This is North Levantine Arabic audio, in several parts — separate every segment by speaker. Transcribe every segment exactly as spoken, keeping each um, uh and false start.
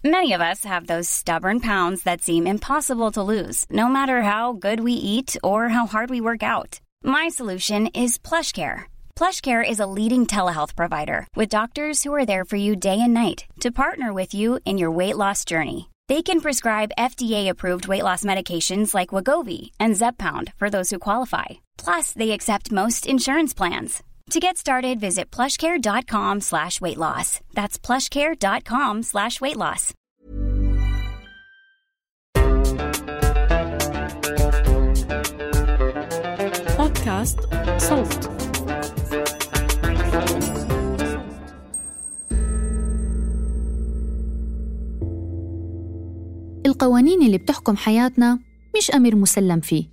Speaker 1: Many of us have those stubborn pounds that seem impossible to lose, no matter how good we eat or how hard we work out. My solution is PlushCare. PlushCare is a leading telehealth provider with doctors who are there for you day and night to partner with you in your weight loss journey. They can prescribe F D A-approved weight loss medications like Wegovy and Zepbound for those who qualify. Plus, they accept most insurance plans. To get started, visit plushcare.com slash weight loss. That's plushcare.com slash weight loss.
Speaker 2: بودكاست صوت.
Speaker 3: القوانين اللي بتحكم حياتنا مش أمر مسلم فيه،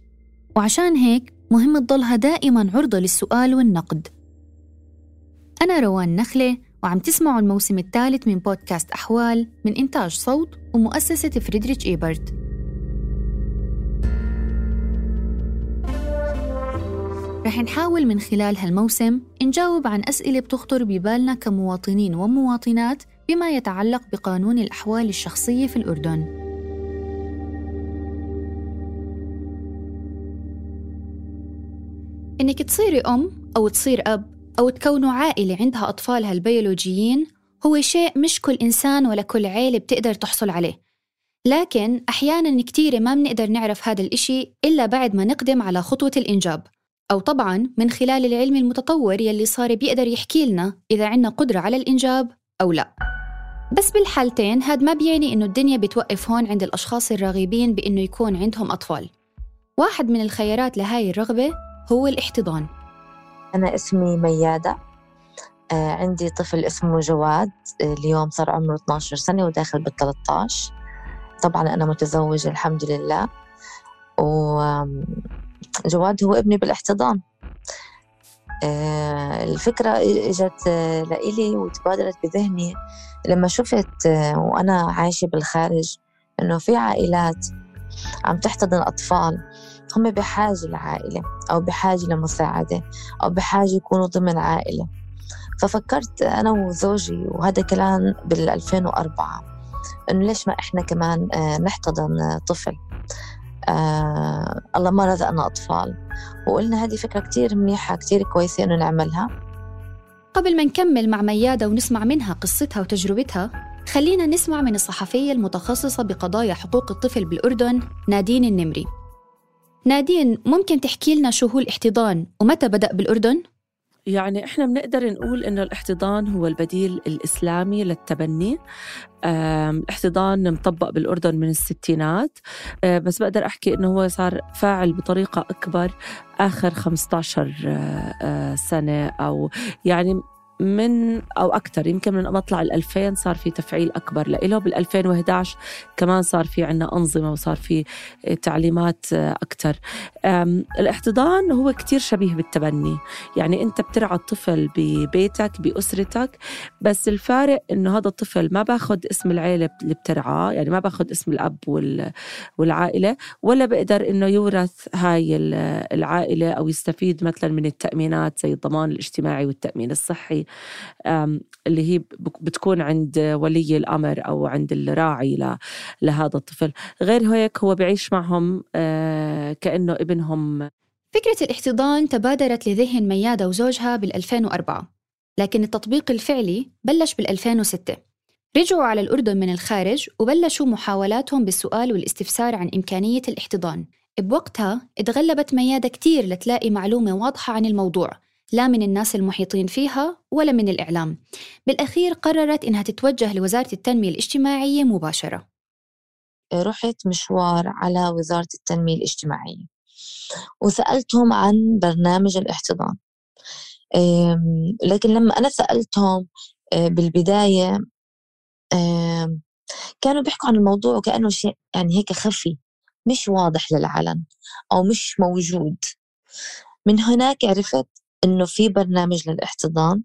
Speaker 3: وعشان هيك مهم تضلها دائماً عرضة للسؤال والنقد. أنا روان نخلة، وعم تسمعوا الموسم الثالث من بودكاست أحوال من إنتاج صوت ومؤسسة فريدريتش إيبرت. رح نحاول من خلال هالموسم نجاوب عن أسئلة بتخطر ببالنا كمواطنين ومواطنات بما يتعلق بقانون الأحوال الشخصية في الأردن. إنك تصيري أم أو تصير أب أو تكونوا عائلة عندها أطفالها البيولوجيين هو شيء مش كل إنسان ولا كل عائلة بتقدر تحصل عليه، لكن أحياناً كتير ما بنقدر نعرف هذا الإشي إلا بعد ما نقدم على خطوة الإنجاب، أو طبعاً من خلال العلم المتطور يلي صار بيقدر يحكي لنا إذا عنا قدرة على الإنجاب أو لا. بس بالحالتين هاد ما بيعني إنه الدنيا بتوقف هون عند الأشخاص الراغبين بإنه يكون عندهم أطفال. واحد من الخيارات لهاي الرغبة هو الاحتضان.
Speaker 4: أنا اسمي ميادة، آه عندي طفل اسمه جواد، اليوم صار عمره اثني عشر سنة وداخل بالثلاثة عشر. طبعاً أنا متزوجة الحمد لله، وجواد هو ابني بالاحتضان. آه الفكرة إجت آه لإلي وتبادلت بذهني لما شفت آه وأنا عايشة بالخارج إنه في عائلات عم تحتضن أطفال هم بحاجة لعائلة أو بحاجة لمساعدة أو بحاجة يكونوا ضمن عائلة. ففكرت أنا وزوجي، وهذا كلام بالألفين وأربعة، إنه ليش ما إحنا كمان آه نحتضن طفل. آه الله ما رزقنا أطفال، وقلنا هذه فكرة كتير منيحة كتير كويسة إنه نعملها.
Speaker 3: قبل ما نكمل مع ميادة ونسمع منها قصتها وتجربتها، خلينا نسمع من الصحفية المتخصصة بقضايا حقوق الطفل بالأردن نادين النمري. نادين، ممكن تحكي لنا شو هو الاحتضان ومتى بدأ بالأردن؟
Speaker 2: يعني إحنا بنقدر نقول إنه الاحتضان هو البديل الإسلامي للتبني. الاحتضان مطبق بالأردن من الستينات، بس بقدر أحكي إنه هو صار فاعل بطريقة أكبر آخر خمسة عشر سنة، أو يعني من أو أكتر، يمكن من مطلع الألفين صار في تفعيل أكبر لإله. بالألفين وإحدى عشر كمان صار في عنا أنظمة وصار في تعليمات أكتر. الاحتضان هو كتير شبيه بالتبني، يعني أنت بترعى الطفل ببيتك بأسرتك، بس الفارق إنه هذا الطفل ما باخد اسم العائلة اللي بترعاه، يعني ما باخد اسم الأب والعائلة، ولا بقدر إنه يورث هاي العائلة أو يستفيد مثلا من التأمينات زي الضمان الاجتماعي والتأمين الصحي اللي هي بتكون عند ولي الأمر أو عند الراعي لهذا الطفل. غير هيك هو بعيش معهم كأنه ابنهم.
Speaker 3: فكرة الاحتضان تبادرت لذهن ميادة وزوجها بالألفين وأربعة، لكن التطبيق الفعلي بلش بالألفين وستة. رجعوا على الأردن من الخارج وبلشوا محاولاتهم بالسؤال والاستفسار عن إمكانية الاحتضان. بوقتها اتغلبت ميادة كتير لتلاقي معلومة واضحة عن الموضوع، لا من الناس المحيطين فيها ولا من الإعلام. بالأخير قررت إنها تتوجه لوزارة التنمية الاجتماعية مباشرة.
Speaker 4: رحت مشوار على وزارة التنمية الاجتماعية وسألتهم عن برنامج الاحتضان، لكن لما أنا سألتهم بالبداية كانوا بيحكوا عن الموضوع وكأنه شيء يعني هيك خفي مش واضح للعلن أو مش موجود. من هناك عرفت إنه في برنامج للاحتضان،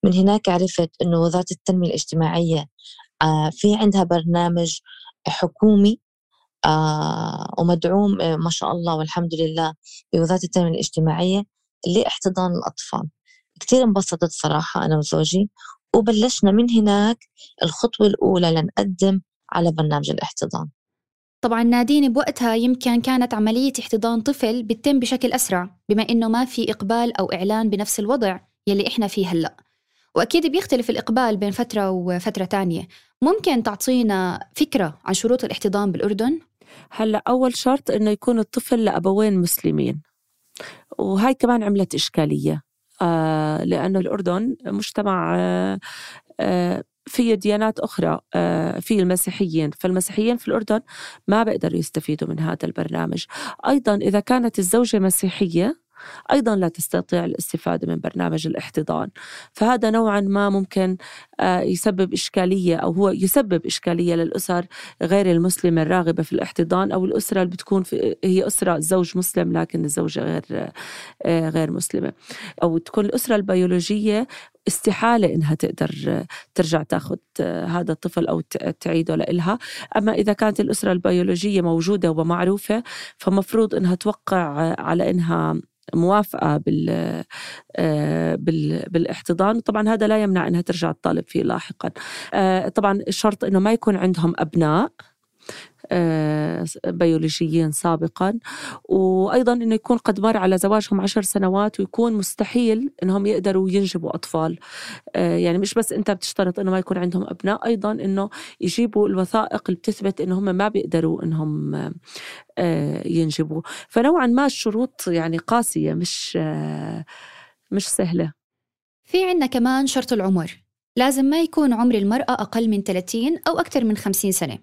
Speaker 4: من هناك عرفت إنه وزارة التنمية الاجتماعية في عندها برنامج حكومي ومدعوم ما شاء الله والحمد لله بوزارة التنمية الاجتماعية لاحتضان الأطفال. كتير انبسطت صراحة أنا وزوجي، وبلشنا من هناك الخطوة الأولى لنقدم على برنامج الاحتضان.
Speaker 3: طبعاً نادين بوقتها يمكن كانت عملية احتضان طفل بتتم بشكل أسرع، بما إنه ما في إقبال أو إعلان بنفس الوضع يلي إحنا فيه هلأ، وأكيد بيختلف الإقبال بين فترة وفترة تانية. ممكن تعطينا فكرة عن شروط الاحتضان بالأردن؟
Speaker 2: هلأ أول شرط إنه يكون الطفل لأبوين مسلمين، وهاي كمان عملت إشكالية آه لأنه الأردن مجتمع آه آه في ديانات أخرى، آه في المسيحيين، فالمسيحيين في الأردن ما بيقدروا يستفيدوا من هذا البرنامج. أيضا إذا كانت الزوجة مسيحية أيضاً لا تستطيع الاستفادة من برنامج الاحتضان، فهذا نوعاً ما ممكن يسبب إشكالية، أو هو يسبب إشكالية للأسر غير المسلمة الراغبة في الاحتضان، أو الأسرة اللي بتكون في هي أسرة زوج مسلم لكن الزوجة غير غير مسلمة، أو تكون الأسرة البيولوجية استحالة إنها تقدر ترجع تاخد هذا الطفل أو تعيده لإلها. أما إذا كانت الأسرة البيولوجية موجودة ومعروفة فمفروض إنها توقع على إنها موافقة بال بال بالاحتضان. طبعا هذا لا يمنع أنها ترجع تطالب فيه لاحقا. طبعا الشرط أنه ما يكون عندهم أبناء بيولوجيين سابقا، وأيضا أنه يكون قد مر على زواجهم عشر سنوات، ويكون مستحيل أنهم يقدروا ينجبوا أطفال. يعني مش بس أنت بتشترط أنه ما يكون عندهم أبناء، أيضا أنه يجيبوا الوثائق اللي بتثبت أنهم ما بيقدروا أنهم ينجبوا. فنوعا ما الشروط يعني قاسية، مش مش سهلة.
Speaker 3: في عنا كمان شرط العمر، لازم ما يكون عمر المرأة أقل من ثلاثين أو أكثر من خمسين سنة،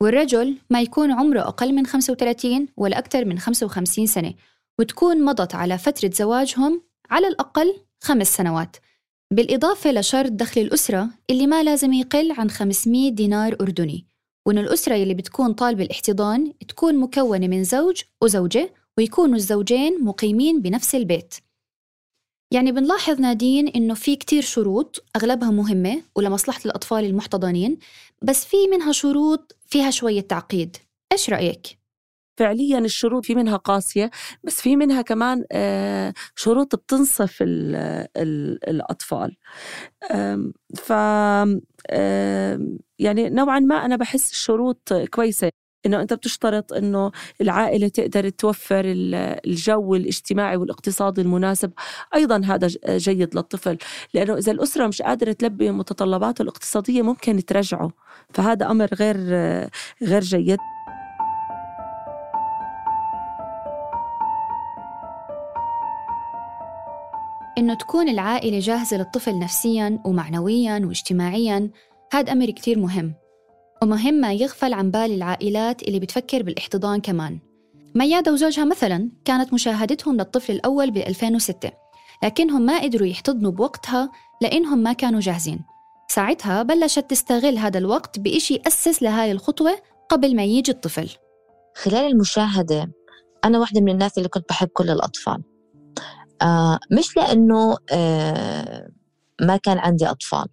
Speaker 3: والرجل ما يكون عمره أقل من خمسة وثلاثين ولا أكثر من خمسة وخمسين سنة، وتكون مضت على فترة زواجهم على الأقل خمس سنوات، بالإضافة لشرط دخل الأسرة اللي ما لازم يقل عن خمسمية دينار أردني، وإن الأسرة اللي بتكون طالبة الاحتضان تكون مكونة من زوج وزوجة، ويكونوا الزوجين مقيمين بنفس البيت. يعني بنلاحظ نادين إنه في كتير شروط أغلبها مهمة ولمصلحة الأطفال المحتضنين، بس في منها شروط فيها شوية تعقيد. إيش رأيك؟
Speaker 2: فعليا الشروط في منها قاسية، بس في منها كمان شروط بتنصف ال ال الأطفال. ف يعني نوعا ما أنا بحس الشروط كويسة، إنه أنت بتشترط إنه العائلة تقدر توفر الجو الاجتماعي والاقتصادي المناسب. أيضا هذا جيد للطفل، لأنه إذا الأسرة مش قادرة تلبي متطلباته الاقتصادية ممكن ترجعه، فهذا أمر غير غير جيد.
Speaker 3: إنه تكون العائلة جاهزة للطفل نفسياً ومعنوياً واجتماعياً، هذا أمر كتير مهم، ومهم ما يغفل عن بال العائلات اللي بتفكر بالاحتضان كمان. ميادة وزوجها مثلاً كانت مشاهدتهم للطفل الأول بألفين وستة، لكنهم ما قدروا يحتضنوا بوقتها لأنهم ما كانوا جاهزين. ساعتها بلشت تستغل هذا الوقت بإشي أسس لهاي الخطوة قبل ما يجي الطفل.
Speaker 4: خلال المشاهدة أنا واحدة من الناس اللي كنت بحب كل الأطفال، آه مش لأنه آه ما كان عندي أطفال.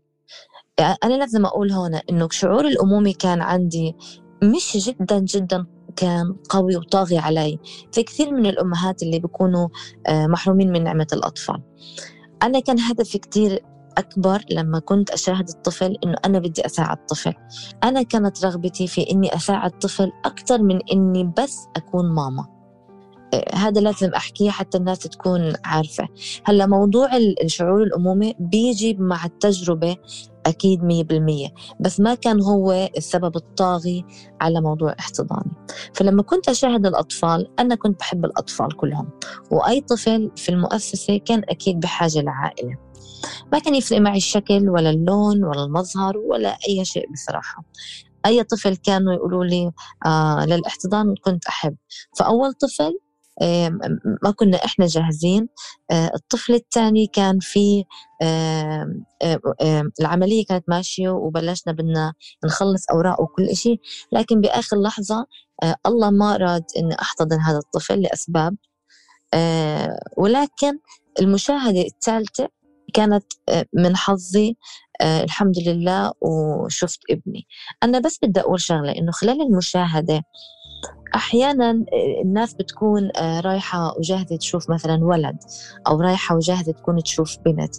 Speaker 4: أنا لازم أقول هنا إنه شعور الأمومة كان عندي مش جدا جدا كان قوي وطاغي علي. في كثير من الأمهات اللي بيكونوا آه محرومين من نعمة الأطفال. أنا كان هدفي كتير أكبر لما كنت أشاهد الطفل إنه أنا بدي أساعد الطفل. أنا كانت رغبتي في إني أساعد الطفل أكتر من إني بس أكون ماما. هذا لازم أحكيه حتى الناس تكون عارفة. هلأ موضوع الشعور الأمومة بيجي مع التجربة أكيد مية بالمية، بس ما كان هو السبب الطاغي على موضوع احتضاني. فلما كنت أشاهد الأطفال أنا كنت بحب الأطفال كلهم، وأي طفل في المؤسسة كان أكيد بحاجة لعائلة. ما كان يفرق معي الشكل ولا اللون ولا المظهر ولا أي شيء بصراحة. أي طفل كانوا يقولوا لي آه للاحتضان كنت أحب. فأول طفل ما كنا إحنا جاهزين. الطفل الثاني كان في العملية كانت ماشية وبلشنا بدنا نخلص أوراق وكل إشي، لكن بآخر لحظة الله ما أراد إن أحتضن هذا الطفل لأسباب. ولكن المشاهدة الثالثة كانت من حظي الحمد لله وشفت ابني. أنا بس بدي أقول شغلة، إنه خلال المشاهدة أحياناً الناس بتكون رايحة وجاهزة تشوف مثلاً ولد، أو رايحة وجاهزة تكون تشوف بنت،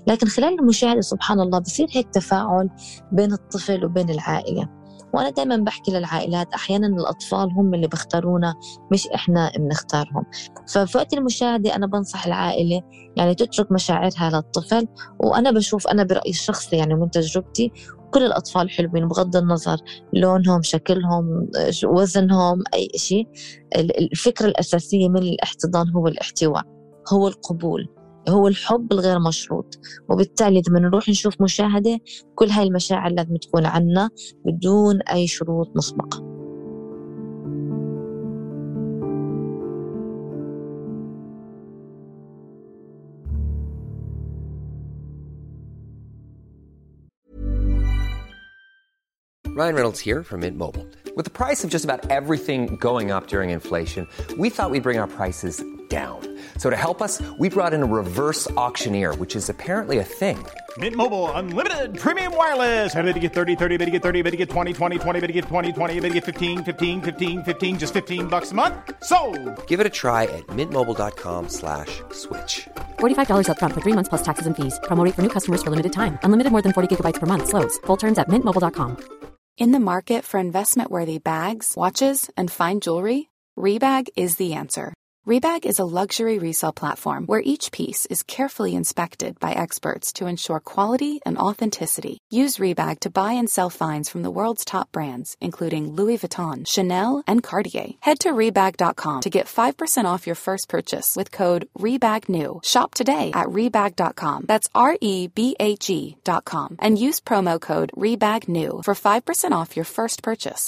Speaker 4: لكن خلال المشاهدة سبحان الله بصير هيك تفاعل بين الطفل وبين العائلة. وأنا دايماً بحكي للعائلات أحياناً الأطفال هم اللي بيختارونا مش إحنا بنختارهم. ففي وقت المشاهدة أنا بنصح العائلة يعني تترك مشاعرها للطفل. وأنا بشوف أنا برأيي الشخصي يعني من تجربتي كل الأطفال حلوين بغض النظر لونهم، شكلهم، وزنهم، أي شيء. الفكرة الأساسية من الاحتضان هو الاحتواء، هو القبول، هو الحب الغير مشروط. وبالتالي لما نروح نشوف مشاهدة كل هاي المشاعر لازم تكون عنا بدون أي شروط مسبقة.
Speaker 5: Ryan Reynolds here from Mint Mobile. With the price of just about everything going up during inflation, we thought we'd bring our prices down. So to help us, we brought in a reverse auctioneer, which is apparently a thing.
Speaker 6: Mint Mobile Unlimited Premium Wireless. How to get thirty, thirty, how to get thirty, how to get twenty, twenty, twenty, how to get twenty, twenty, how to get fifteen, fifteen, fifteen, fifteen, just fifteen bucks a month? Sold!
Speaker 5: Give it a try at mintmobile.com slash switch.
Speaker 7: forty-five dollars up front for three months plus taxes and fees. Promo rate for new customers for limited time. Unlimited more than forty gigabytes per month. Slows full terms at mint mobile dot com.
Speaker 8: In the market for investment-worthy bags, watches, and fine jewelry, Rebag is the answer. Rebag is a luxury resale platform where each piece is carefully inspected by experts to ensure quality and authenticity. Use Rebag to buy and sell finds from the world's top brands, including Louis Vuitton, Chanel, and Cartier. Head to Rebag dot com to get five percent off your first purchase with code REBAGNEW. Shop today at Rebag dot com. That's R E B A G dot com. And use promo code REBAGNEW for five percent off your first purchase.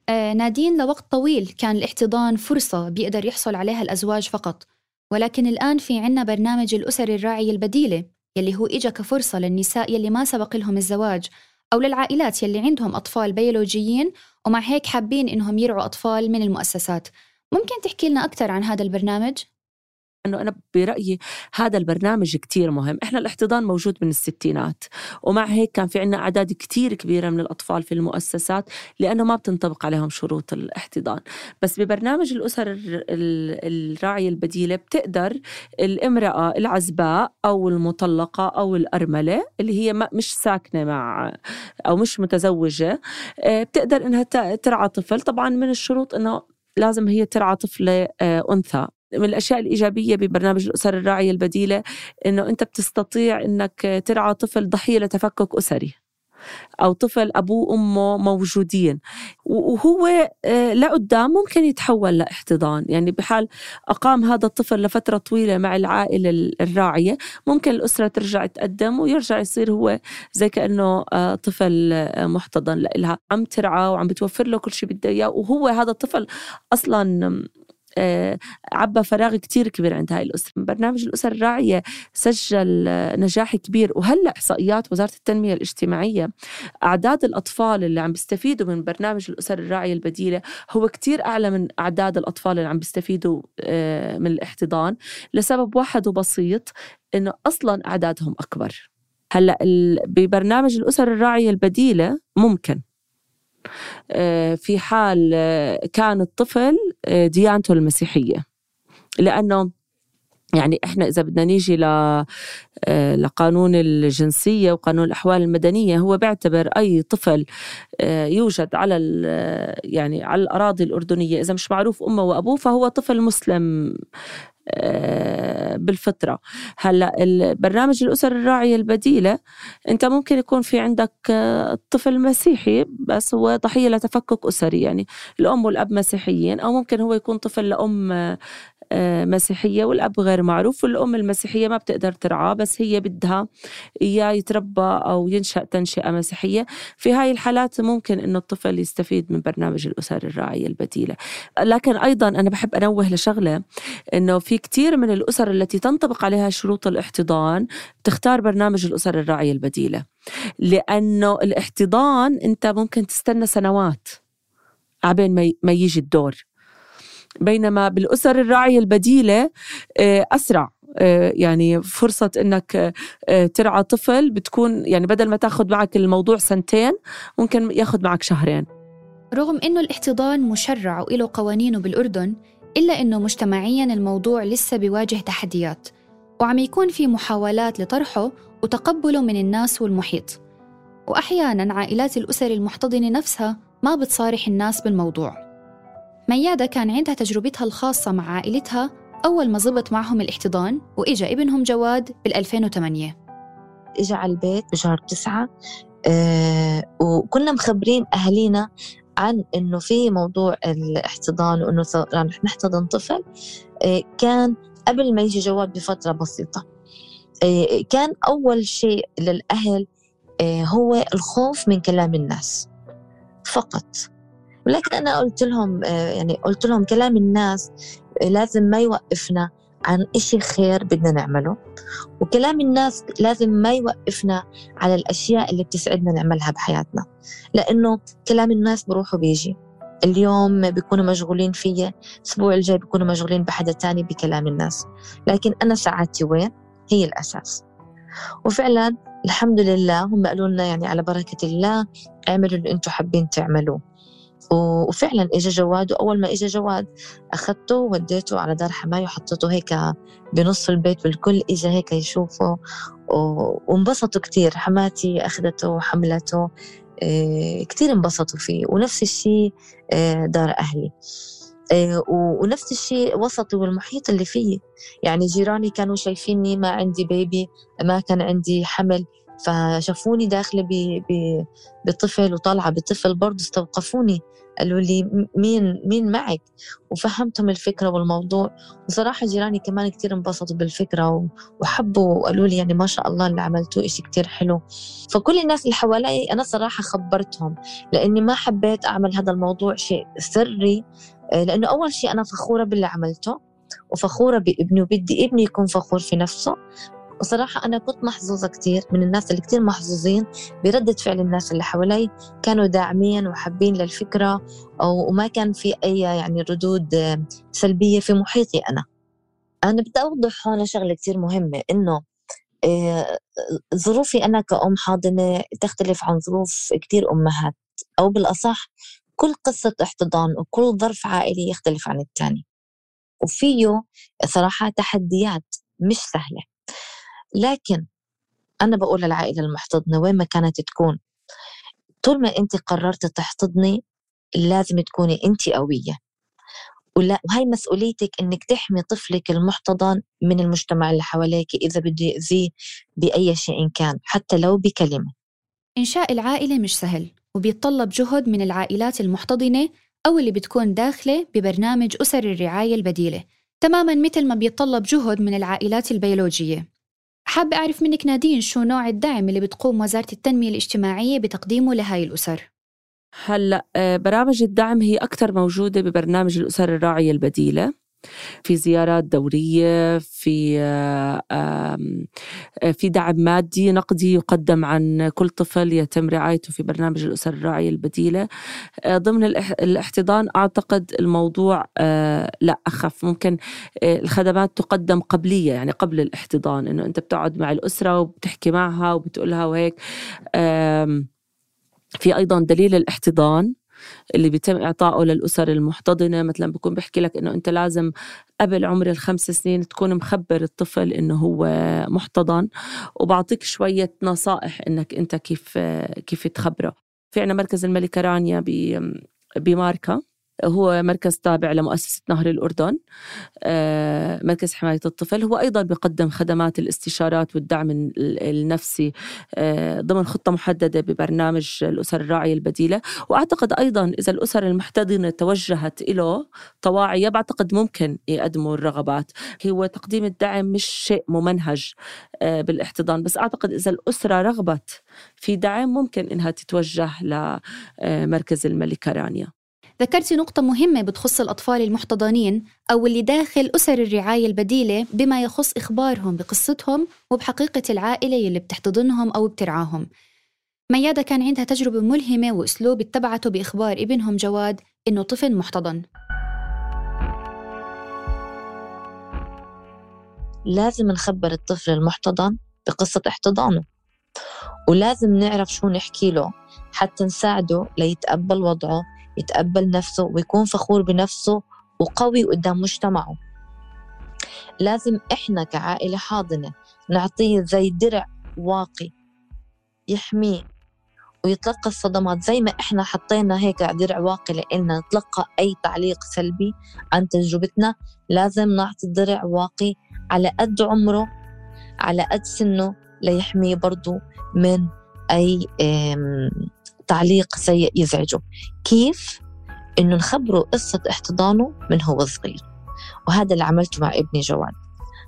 Speaker 3: آه نادين، لوقت طويل كان الاحتضان فرصة بيقدر يحصل عليها الأزواج فقط، ولكن الآن في عنا برنامج الأسر الراعية البديلة يلي هو إجا كفرصة للنساء يلي ما سبق لهم الزواج أو للعائلات يلي عندهم أطفال بيولوجيين ومع هيك حابين إنهم يرعوا أطفال من المؤسسات. ممكن تحكي لنا أكتر عن هذا البرنامج؟
Speaker 2: أنه أنا برأيي هذا البرنامج كتير مهم. إحنا الاحتضان موجود من الستينات، ومع هيك كان في عنا أعداد كتير كبيرة من الأطفال في المؤسسات لأنه ما بتنطبق عليهم شروط الاحتضان. بس ببرنامج الأسر الراعية البديلة بتقدر الامرأة العزباء أو المطلقة أو الأرملة اللي هي مش ساكنة مع أو مش متزوجة بتقدر إنها ترعى طفل. طبعا من الشروط إنه لازم هي ترعى طفل أنثى. من الأشياء الإيجابية ببرنامج الأسر الراعية البديلة إنه أنت بتستطيع إنك ترعى طفل ضحية لتفكك أسري أو طفل أبوه وأمه موجودين، وهو لقدام ممكن يتحول لاحتضان. يعني بحال أقام هذا الطفل لفترة طويلة مع العائلة الراعية ممكن الأسرة ترجع تقدم ويرجع يصير هو زي كأنه طفل محتضن لها، عم ترعى وعم بتوفر له كل شيء بده إياه. وهو هذا الطفل أصلاً عبى فراغ كتير كبير عند هاي الأسرة. برنامج الأسر الراعية سجل نجاح كبير، وهلأ إحصائيات وزارة التنمية الاجتماعية أعداد الأطفال اللي عم بيستفيدوا من برنامج الأسر الراعية البديلة هو كتير أعلى من أعداد الأطفال اللي عم بيستفيدوا من الاحتضان، لسبب واحد وبسيط إنه أصلاً أعدادهم أكبر. هلأ ببرنامج الأسر الراعية البديلة ممكن في حال كان الطفل ديانته المسيحية، لأنه يعني إحنا إذا بدنا نيجي لقانون الجنسية وقانون الأحوال المدنية هو بيعتبر أي طفل يوجد على يعني على الأراضي الأردنية إذا مش معروف أمه وأبوه فهو طفل مسلم بالفطرة. هلأ البرنامج الأسر الراعية البديلة أنت ممكن يكون في عندك طفل مسيحي بس هو ضحية لتفكك أسري، يعني الأم والأب مسيحيين، أو ممكن هو يكون طفل لأم مسيحية والأب غير معروف، والأم المسيحية ما بتقدر ترعاه بس هي بدها إياه يتربى أو ينشأ تنشئة مسيحية. في هاي الحالات ممكن إنه الطفل يستفيد من برنامج الأسر الراعية البديلة. لكن أيضا أنا بحب أنوه لشغلة، إنه في كتير من الأسر التي تنطبق عليها شروط الاحتضان تختار برنامج الأسر الراعية البديلة، لأنه الاحتضان أنت ممكن تستنى سنوات عبين ما يجي الدور، بينما بالأسر الراعية البديلة أسرع. يعني فرصة إنك ترعى طفل بتكون يعني بدل ما تاخد معك الموضوع سنتين ممكن ياخد معك شهرين.
Speaker 3: رغم إنه الاحتضان مشرع وإله قوانينه بالأردن، إلا إنه مجتمعياً الموضوع لسه بيواجه تحديات، وعم يكون في محاولات لطرحه وتقبله من الناس والمحيط. وأحياناً عائلات الأسر المحتضنة نفسها ما بتصارح الناس بالموضوع. ميادة كان عندها تجربتها الخاصة مع عائلتها أول ما زبط معهم الاحتضان، وإجا ابنهم جواد بالألفين وثمانية.
Speaker 4: إجا على البيت بشهر تسعة، أه وكنا مخبرين أهلينا عن إنه في موضوع الاحتضان وإنه رح نحتضن طفل. أه كان قبل ما يجي جواد بفترة بسيطة. أه كان أول شيء للأهل أه هو الخوف من كلام الناس فقط. ولكن أنا قلت لهم أه يعني قلت لهم كلام الناس لازم ما يوقفنا عن إشي خير بدنا نعمله، وكلام الناس لازم ما يوقفنا على الأشياء اللي بتسعدنا نعملها بحياتنا، لأنه كلام الناس بروح وبيجي. اليوم بيكونوا مشغولين فيه، الأسبوع الجاي بيكونوا مشغولين بحدا تاني بكلام الناس، لكن أنا سعادتي وين هي الأساس. وفعلا الحمد لله هم قالوا لنا يعني على بركة الله اعملوا اللي انتوا حابين تعملوه. وفعلا اجى جواد، واول ما اجى جواد اخذته وديته على دار حماية وحطيته هيك بنص البيت، والكل اجى هيك يشوفه وانبسطوا كتير. حماتي اخذته وحملته، كتير انبسطوا فيه. ونفس الشيء دار اهلي، ونفس الشيء وسطي والمحيط اللي فيه. يعني جيراني كانوا شايفيني ما عندي بيبي، ما كان عندي حمل، فشافوني داخلة بطفل وطالعة بطفل برضو استوقفوني، قالوا لي مين مين معك، وفهمتهم الفكرة والموضوع. وصراحة جيراني كمان كتير انبسطوا بالفكرة وحبوا وقالوا لي يعني ما شاء الله اللي عملتوه إشي كتير حلو. فكل الناس اللي حوالي أنا صراحة خبرتهم، لأني ما حبيت أعمل هذا الموضوع شيء سري، لأنه أول شيء أنا فخورة باللي عملته وفخورة بابني، وبدي ابني يكون فخور في نفسه. وصراحة أنا كنت محظوظة كتير من الناس اللي كتير محظوظين بردة فعل الناس اللي حوالي، كانوا داعمين وحابين للفكرة، وما كان في أي يعني ردود سلبية في محيطي. أنا أنا بدي أوضح هون شغلة كتير مهمة، إنه ظروفي أنا كأم حاضنة تختلف عن ظروف كتير أمهات، أو بالأصح كل قصة احتضان وكل ظرف عائلي يختلف عن التاني، وفيه صراحة تحديات مش سهلة. لكن أنا بقول للعائلة المحتضنة وين ما كانت تكون، طول ما أنت قررت تحتضني لازم تكوني أنت قوية، وهي مسؤوليتك إنك تحمي طفلك المحتضن من المجتمع اللي حواليك إذا بده يأذيه بأي شيء كان، حتى لو بكلمة.
Speaker 3: إنشاء العائلة مش سهل، وبيتطلب جهد من العائلات المحتضنة أو اللي بتكون داخلة ببرنامج أسر الرعاية البديلة، تماماً مثل ما بيتطلب جهد من العائلات البيولوجية. حابة أعرف منك نادين شو نوع الدعم اللي بتقوم وزارة التنمية الاجتماعية بتقديمه لهاي الأسر؟
Speaker 2: هلأ برامج الدعم هي أكثر موجودة ببرنامج الأسر الراعية البديلة، في زيارات دورية، في في دعم مادي نقدي يقدم عن كل طفل يتم رعايته في برنامج الأسر الراعية البديلة. ضمن الاحتضان أعتقد الموضوع لا أخف، ممكن الخدمات تقدم قبلية، يعني قبل الاحتضان، إنه أنت بتقعد مع الأسرة وبتحكي معها وبتقولها وهيك. في أيضا دليل الاحتضان اللي بيتم إعطائه للأسر المحتضنة، مثلا بيكون بيحكي لك إنه أنت لازم قبل عمر الخمس سنين تكون مخبر الطفل إنه هو محتضن، وبعطيك شوية نصائح إنك أنت كيف كيف تخبره. في عنا مركز الملكة رانيا بماركة، هو مركز تابع لمؤسسة نهر الأردن، مركز حماية الطفل. هو أيضا بيقدم خدمات الاستشارات والدعم النفسي ضمن خطة محددة ببرنامج الأسر الراعية البديلة. وأعتقد أيضا إذا الأسر المحتضنة توجهت إله طواعية، بعتقد ممكن يقدموا الرغبات. هو تقديم الدعم مش شيء ممنهج بالاحتضان، بس أعتقد إذا الأسرة رغبت في دعم ممكن إنها تتوجه لمركز الملكة رانيا.
Speaker 3: ذكرتي نقطة مهمة بتخص الأطفال المحتضنين أو اللي داخل أسر الرعاية البديلة بما يخص إخبارهم بقصتهم وبحقيقة العائلة اللي بتحتضنهم أو بترعاهم. ميادة كان عندها تجربة ملهمة وأسلوب اتبعته بإخبار ابنهم جواد إنه طفل محتضن.
Speaker 4: لازم نخبر الطفل المحتضن بقصة احتضانه، ولازم نعرف شو نحكي له حتى نساعده ليتقبل وضعه، يتقبل نفسه ويكون فخور بنفسه وقوي قدام مجتمعه. لازم إحنا كعائلة حاضنة نعطيه زي درع واقي يحميه ويتلقى الصدمات، زي ما إحنا حطينا هيك درع واقي لإلنا نتلقى أي تعليق سلبي عن تجربتنا. لازم نعطي درع واقي على قد عمره على قد سنه ليحميه برضو من أي تعليق سيء يزعجه. كيف؟ إنه نخبره قصة احتضانه من هو صغير، وهذا اللي عملته مع ابني جواد.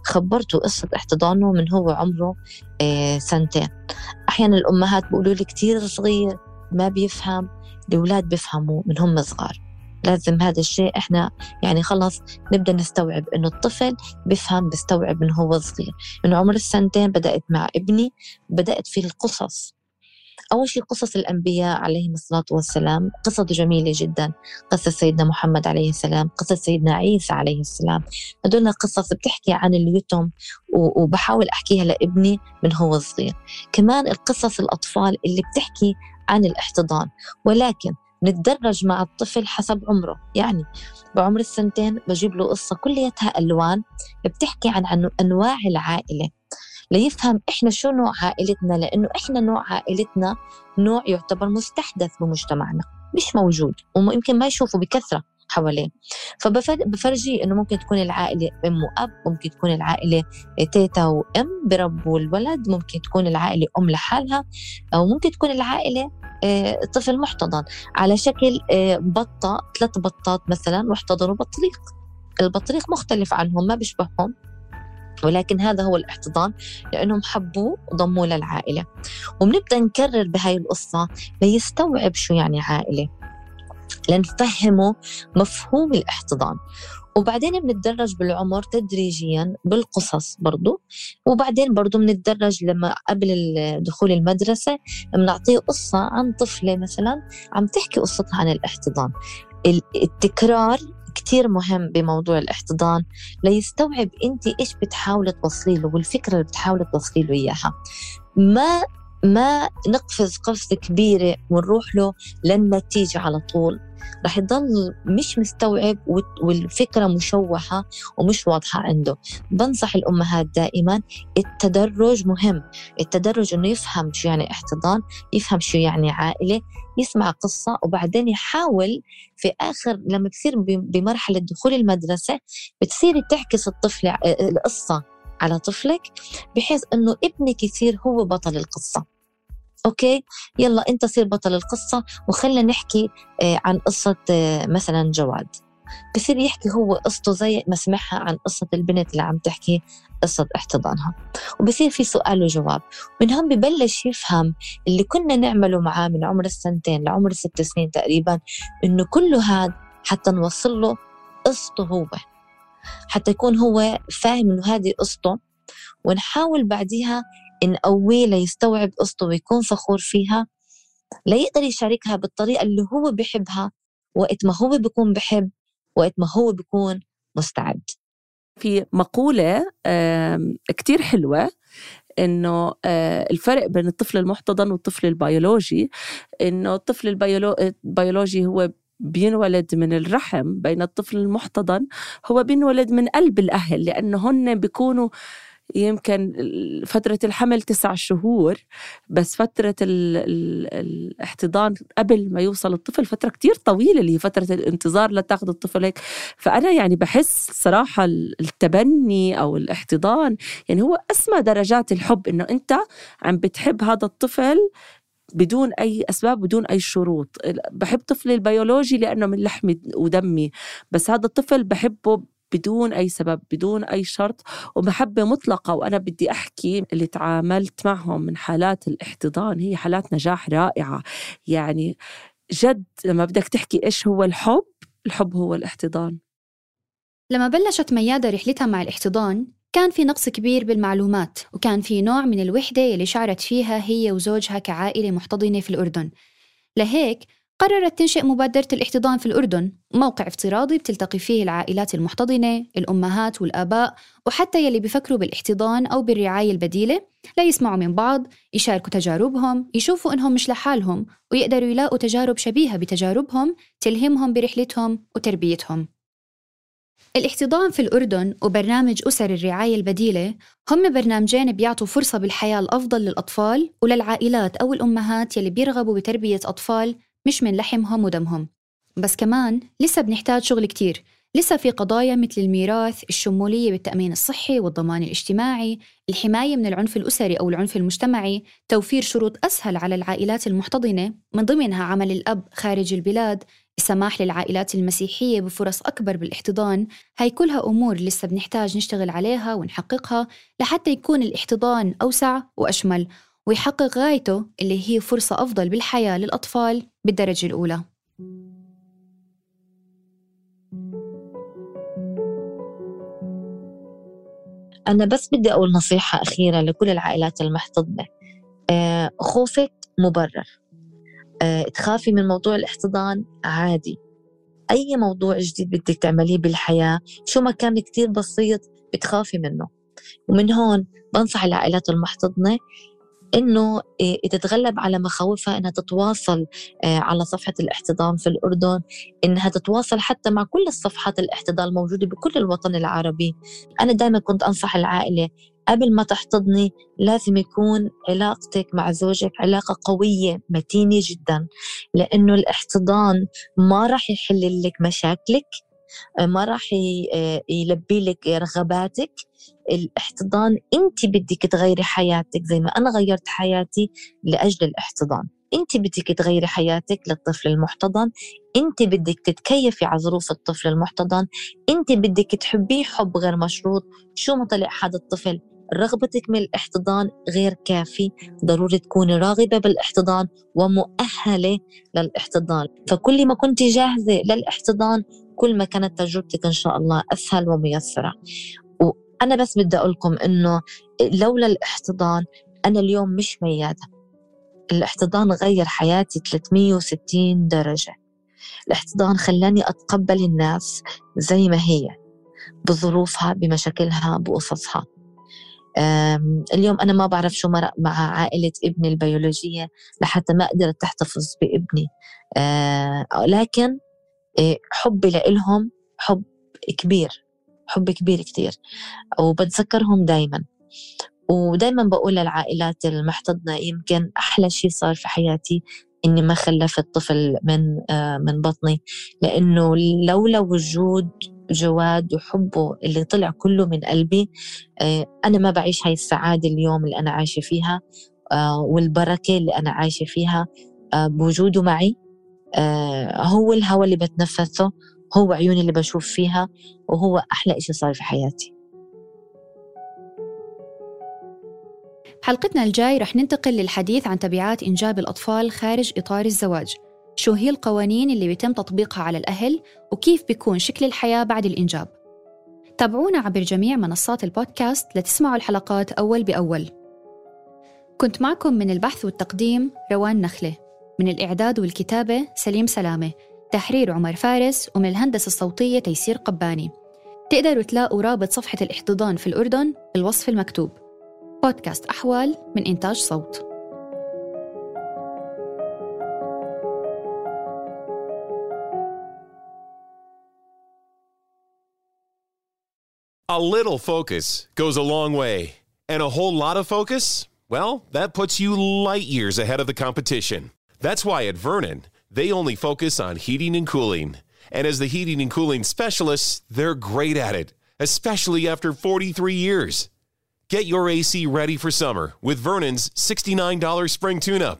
Speaker 4: خبرته قصة احتضانه من هو عمره آه سنتين. أحيانا الأمهات بيقولوا لي كتير صغير ما بيفهم، الأولاد بيفهموا من هم صغار. لازم هذا الشيء إحنا يعني خلص نبدأ نستوعب إنه الطفل بيفهم بيستوعب من هو صغير. من عمر السنتين بدأت مع ابني، بدأت في القصص. أول شيء قصص الأنبياء عليهم الصلاة والسلام، قصص جميلة جدا. قصة سيدنا محمد عليه السلام، قصة سيدنا عيسى عليه السلام، هدول قصص بتحكي عن اليتم وبحاول أحكيها لابني من هو صغير. كمان القصص الأطفال اللي بتحكي عن الاحتضان، ولكن نتدرج مع الطفل حسب عمره. يعني بعمر السنتين بجيب له قصة كليتها ألوان بتحكي عن أنواع العائلة ليفهم إحنا شو نوع عائلتنا، لأنه إحنا نوع عائلتنا نوع يعتبر مستحدث بمجتمعنا، مش موجود ويمكن ما يشوفه بكثرة حواليه. فبفرجي إنه ممكن تكون العائلة أم وأب، ممكن تكون العائلة تيتا وأم بربوا الولد، ممكن تكون العائلة أم لحالها، أو ممكن تكون العائلة طفل محتضن على شكل بطة، ثلاث بطات مثلا واحتضنوا بطريق. البطريق مختلف عنهم ما بيشبههم، ولكن هذا هو الاحتضان لأنهم حبوه وضموه للعائلة. وبنبدأ نكرر بهاي القصة ليستوعب شو يعني عائلة، لنفهمه مفهوم الاحتضان. وبعدين بنتدرج بالعمر تدريجيا بالقصص برضو، وبعدين برضو بنتدرج لما قبل دخول المدرسة بنعطيه قصة عن طفلة مثلا عم تحكي قصتها عن الاحتضان. التكرار كتير مهم بموضوع الاحتضان ليستوعب انت ايش بتحاول توصلي له والفكرة اللي بتحاول توصلي له اياها. ما ما نقفز قفزة كبيرة ونروح له للنتيجة على طول، رح يضل مش مستوعب والفكرة مشوحة ومش واضحة عنده. بنصح الأمهات دائما التدرج مهم، التدرج إنه يفهم شو يعني احتضان، يفهم شو يعني عائلة، يسمع قصة، وبعدين يحاول في آخر لما بتصير بمرحلة دخول المدرسة بتصير تعكس الطفل القصة على طفلك بحيث إنه ابنك يصير هو بطل القصة. أوكي يلا أنت صير بطل القصة وخلنا نحكي عن قصة مثلا جواد. بصير يحكي هو قصته زي ما سمعها عن قصة البنت اللي عم تحكي قصة احتضانها، وبصير في سؤال وجواب. من هم ببلش يفهم اللي كنا نعمله معاه من عمر السنتين لعمر ست سنين تقريبا، إنه كله هذا حتى نوصل له قصته هو، حتى يكون هو فاهم إنه هذه قصته، ونحاول بعديها نقويه ليستوعب قصته ويكون فخور فيها، ليقدر يشاركها بالطريقة اللي هو بيحبها وقت ما هو بيكون بحب، وقت ما هو بيكون مستعد.
Speaker 2: في مقولة كتير حلوة إنه الفرق بين الطفل المحتضن والطفل البيولوجي، إنه الطفل البيولوجي هو بينولد من الرحم، بين الطفل المحتضن هو بينولد من قلب الأهل، لأنه هن بيكونوا يمكن فترة الحمل تسع شهور، بس فترة ال ال الاحتضان قبل ما يوصل الطفل فترة كتير طويلة اللي هي فترة الانتظار لتاخذ الطفل هيك. فأنا يعني بحس صراحة التبني أو الاحتضان يعني هو أسمى درجات الحب، إنه أنت عم بتحب هذا الطفل بدون أي أسباب بدون أي شروط. بحب طفلي البيولوجي لأنه من لحمي ودمي، بس هذا الطفل بحبه بدون أي سبب بدون أي شرط ومحبة مطلقة. وأنا بدي أحكي اللي تعاملت معهم من حالات الاحتضان هي حالات نجاح رائعة. يعني جد لما بدك تحكي إيش هو الحب، الحب هو الاحتضان.
Speaker 3: لما بلشت ميادة رحلتها مع الاحتضان كان في نقص كبير بالمعلومات، وكان في نوع من الوحدة اللي شعرت فيها هي وزوجها كعائلة محتضنة في الأردن. لهيك قررت تنشئ مبادرة الاحتضان في الأردن، موقع افتراضي بتلتقي فيه العائلات المحتضنة، الأمهات والآباء، وحتى يلي بيفكروا بالاحتضان أو بالرعاية البديلة، لا يسمعوا من بعض، يشاركوا تجاربهم، يشوفوا إنهم مش لحالهم، ويقدروا يلاقوا تجارب شبيهة بتجاربهم تلهمهم برحلتهم وتربيتهم. الاحتضان في الأردن وبرنامج أسر الرعاية البديلة هم برنامجين بيعطوا فرصة بالحياة الأفضل للأطفال وللعائلات أو الأمهات يلي بيرغبوا بتربية أطفال مش من لحمهم ودمهم. بس كمان لسه بنحتاج شغل كتير، لسه في قضايا مثل الميراث، الشمولية بالتأمين الصحي والضمان الاجتماعي، الحماية من العنف الأسري أو العنف المجتمعي، توفير شروط أسهل على العائلات المحتضنة من ضمنها عمل الأب خارج البلاد، السماح للعائلات المسيحية بفرص أكبر بالاحتضان. هاي كلها أمور لسه بنحتاج نشتغل عليها ونحققها لحتى يكون الاحتضان أوسع وأشمل ويحقق غايته اللي هي فرصة أفضل بالحياة للأطفال بالدرجة الأولى.
Speaker 4: أنا بس بدي أقول نصيحة أخيرة لكل العائلات المحتضنة. آه خوفك مبرر. آه تخافي من موضوع الاحتضان عادي. أي موضوع جديد بدك تعمليه بالحياة شو ما كان كتير بسيط بتخافي منه. ومن هون بنصح العائلات المحتضنة إنه تتغلب على مخاوفها، إنها تتواصل على صفحة الاحتضان في الأردن، إنها تتواصل حتى مع كل الصفحات الاحتضان الموجودة بكل الوطن العربي. أنا دائما كنت أنصح العائلة قبل ما تحتضني لازم يكون علاقتك مع زوجك علاقة قوية متينة جدا، لأنه الاحتضان ما راح يحل لك مشاكلك، ما راح يلبي لك رغباتك. الاحتضان انت بدك تغيري حياتك زي ما انا غيرت حياتي لاجل الاحتضان. انت بدك تغيري حياتك للطفل المحتضن، انت بدك تتكيفي على ظروف الطفل المحتضن، انت بدك تحبيه حب غير مشروط. شو ما طلع هذا الطفل رغبتك من الاحتضان غير كافي، ضروري تكوني راغبة بالاحتضان ومؤهلة للاحتضان. فكل ما كنت جاهزة للاحتضان كل ما كانت تجربتك إن شاء الله أسهل وميسرة. وأنا بس بدي أقولكم إنه لولا الاحتضان أنا اليوم مش ميادة. الاحتضان غير حياتي ثلاثمية وستين درجة. الاحتضان خلاني أتقبل الناس زي ما هي، بظروفها، بمشاكلها، بقصصها. اليوم أنا ما بعرف شو مرق مع عائلة ابني البيولوجية لحتى ما قدرت تحتفظ بابني، لكن حبي لإلهم حب كبير، حب كبير كتير، وبتذكرهم دايما. ودايما بقول للعائلات المحتضنة يمكن أحلى شيء صار في حياتي إني ما خلفت طفل من من بطني، لأنه لولا وجود جواد وحبه اللي طلع كله من قلبي أنا ما بعيش هاي السعادة اليوم اللي أنا عايشة فيها والبركة اللي أنا عايشة فيها. بوجوده معي هو الهواء اللي بتنفسه، هو عيوني اللي بشوف فيها، وهو أحلى إشي صار في حياتي.
Speaker 3: حلقتنا الجاي رح ننتقل للحديث عن تبعات إنجاب الأطفال خارج إطار الزواج. شو هي القوانين اللي بيتم تطبيقها على الأهل وكيف بيكون شكل الحياة بعد الإنجاب. تابعونا عبر جميع منصات البودكاست لتسمعوا الحلقات أول بأول. كنت معكم من البحث والتقديم روان نخلة، من الإعداد والكتابة سليم سلامة، تحرير عمر فارس، ومن الهندسة الصوتية تيسير قباني. تقدروا تلاقوا رابط صفحة الاحتضان في الأردن بالوصف المكتوب. بودكاست أحوال من إنتاج صوت.
Speaker 9: A little focus goes a long way, and a whole lot of focus, well, that puts you light years ahead of the competition. That's why at Vernon, they only focus on heating and cooling. And as the heating and cooling specialists, they're great at it, especially after forty-three years. Get your A C ready for summer with Vernon's sixty-nine dollars spring tune-up.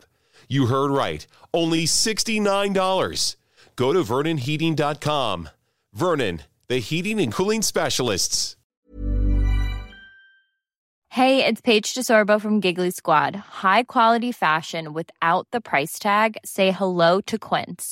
Speaker 9: You heard right, only sixty-nine dollars. Go to vernon heating dot com. Vernon, the heating and cooling specialists.
Speaker 10: Hey, it's Paige DeSorbo from Giggly Squad. High quality fashion without the price tag. Say hello to Quince.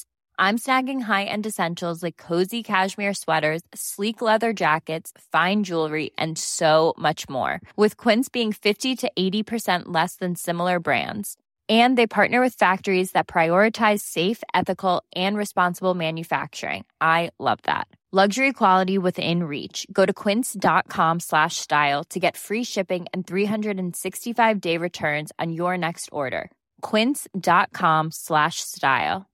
Speaker 10: I'm snagging high-end essentials like cozy cashmere sweaters, sleek leather jackets, fine jewelry, and so much more. With Quince being fifty to eighty percent less than similar brands. And they partner with factories that prioritize safe, ethical, and responsible manufacturing. I love that. Luxury quality within reach. Go to quince.com slash style to get free shipping and three sixty-five day returns on your next order. Quince.com slash style.